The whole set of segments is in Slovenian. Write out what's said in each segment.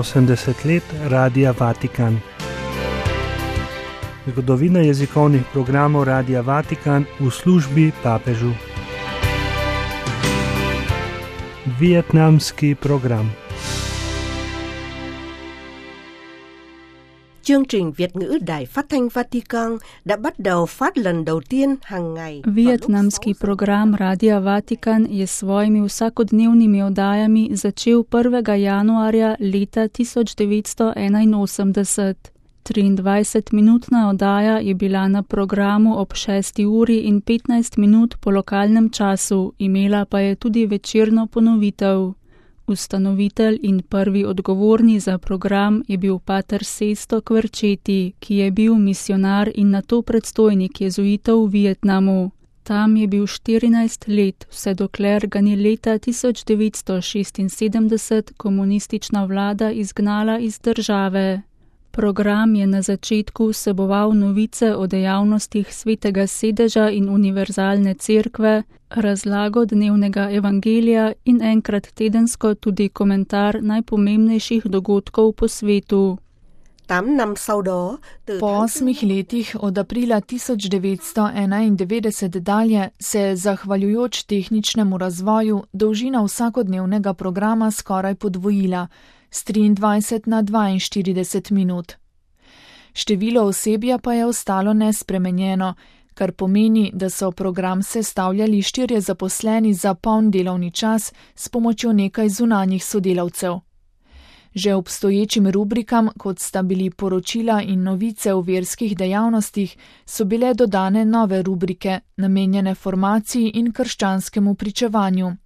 80 let Radia Vatikan. Zgodovina jezikovnih programov Radia Vatikan v službi papežu. Vietnamski program. Chương trình Việt ngữ Đài Phát thanh Vatican đã bắt đầu phát lần đầu tiên hàng ngày. Vietnamski program Radia Vatikan je s svojimi vsakodnevnimi oddajami začel 1. januarja leta 1981. 23-minutna oddaja je bila na programu ob 6 uri in 15 minut po lokalnem času, imela pa je tudi večerno ponovitev. Ustanovitelj in prvi odgovorni za program je bil pater Sesto Kverčeti, ki je bil misionar in nato predstojnik jezuitov v Vietnamu. Tam je bil 14 let, vse dokler ga ni leta 1976 komunistična vlada izgnala iz države. Program je na začetku vseboval novice o dejavnostih Svetega sedeža in Univerzalne cerkve, razlago dnevnega evangelija in enkrat tedensko tudi komentar najpomembnejših dogodkov po svetu. Po 8 letih od aprila 1991 dalje se je, zahvaljujoč tehničnemu razvoju, dolžina vsakodnevnega programa skoraj podvojila, z 23 na 42 minut. Število osebja pa je ostalo nespremenjeno, kar pomeni, da so program sestavljali 4 zaposleni za poln delovni čas s pomočjo nekaj zunanjih sodelavcev. Že obstoječim rubrikam, kot sta bili poročila in novice o verskih dejavnostih, so bile dodane nove rubrike, namenjene formaciji in krščanskemu pričevanju.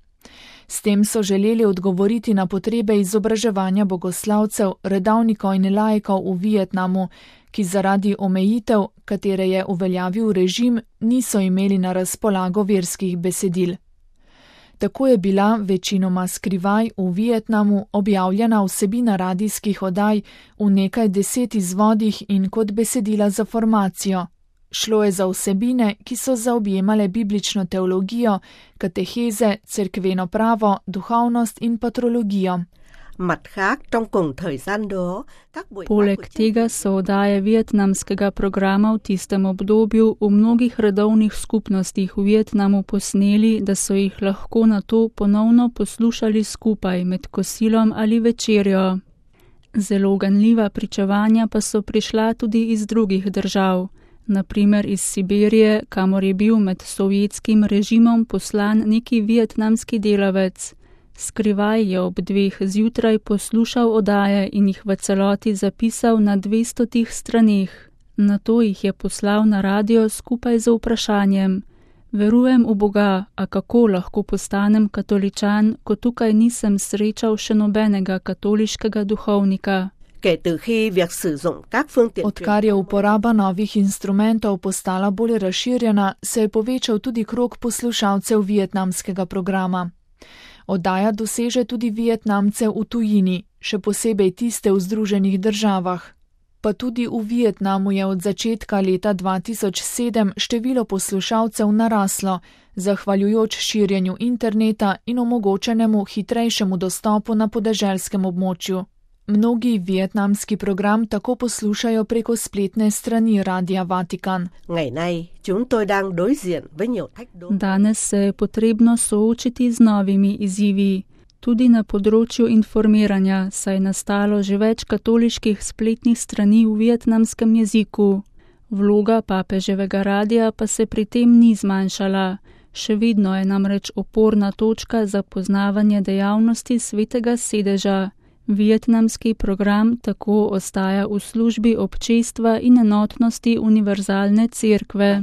S tem so želeli odgovoriti na potrebe izobraževanja bogoslavcev, redovnikov in laikov v Vietnamu, ki zaradi omejitev, katere je uveljavil režim, niso imeli na razpolago verskih besedil. Tako je bila večinoma skrivaj v Vietnamu objavljena vsebina radijskih oddaj v nekaj 10 izvodih in kot besedila za formacijo. Šlo je za vsebine, ki so zaobjemale biblično teologijo, kateheze, cerkveno pravo, duhovnost in patrologijo. Poleg tega so oddaje vietnamskega programa v tistem obdobju v mnogih redovnih skupnostih v Vietnamu posneli, da so jih lahko nato ponovno poslušali skupaj med kosilom ali večerjo. Zelo ganljiva pričevanja pa so prišla tudi iz drugih držav. Na primer iz Sibirije, kamor je bil med sovjetskim režimom poslan neki vietnamski delavec. Skrivaj je ob 2 zjutraj poslušal oddaje in jih v celoti zapisal na 200 straneh. Nato jih je poslal na radio skupaj z vprašanjem: Verujem v Boga, a kako lahko postanem katoličan, ko tukaj nisem srečal še nobenega katoliškega duhovnika? Odkar je uporaba novih instrumentov postala bolj razširjena, se je povečal tudi krog poslušalcev vietnamskega programa. Oddaja doseže tudi Vietnamce v tujini, še posebej tiste v Združenih državah. Pa tudi v Vietnamu je od začetka leta 2007 število poslušalcev naraslo, zahvaljujoč širjenju interneta in omogočenemu hitrejšemu dostopu na podeželskem območju. Mnogi vietnamski program tako poslušajo preko spletne strani Radia Vatikan. Danes se je potrebno soočiti z novimi izzivi. Tudi na področju informiranja, saj je nastalo že več katoliških spletnih strani v vietnamskem jeziku. Vloga papeževega radia pa se pri tem ni zmanjšala. Še vedno je namreč oporna točka za poznavanje dejavnosti Svetega sedeža. Vietnamski program tako ostaja v službi občestva in enotnosti Univerzalne cerkve.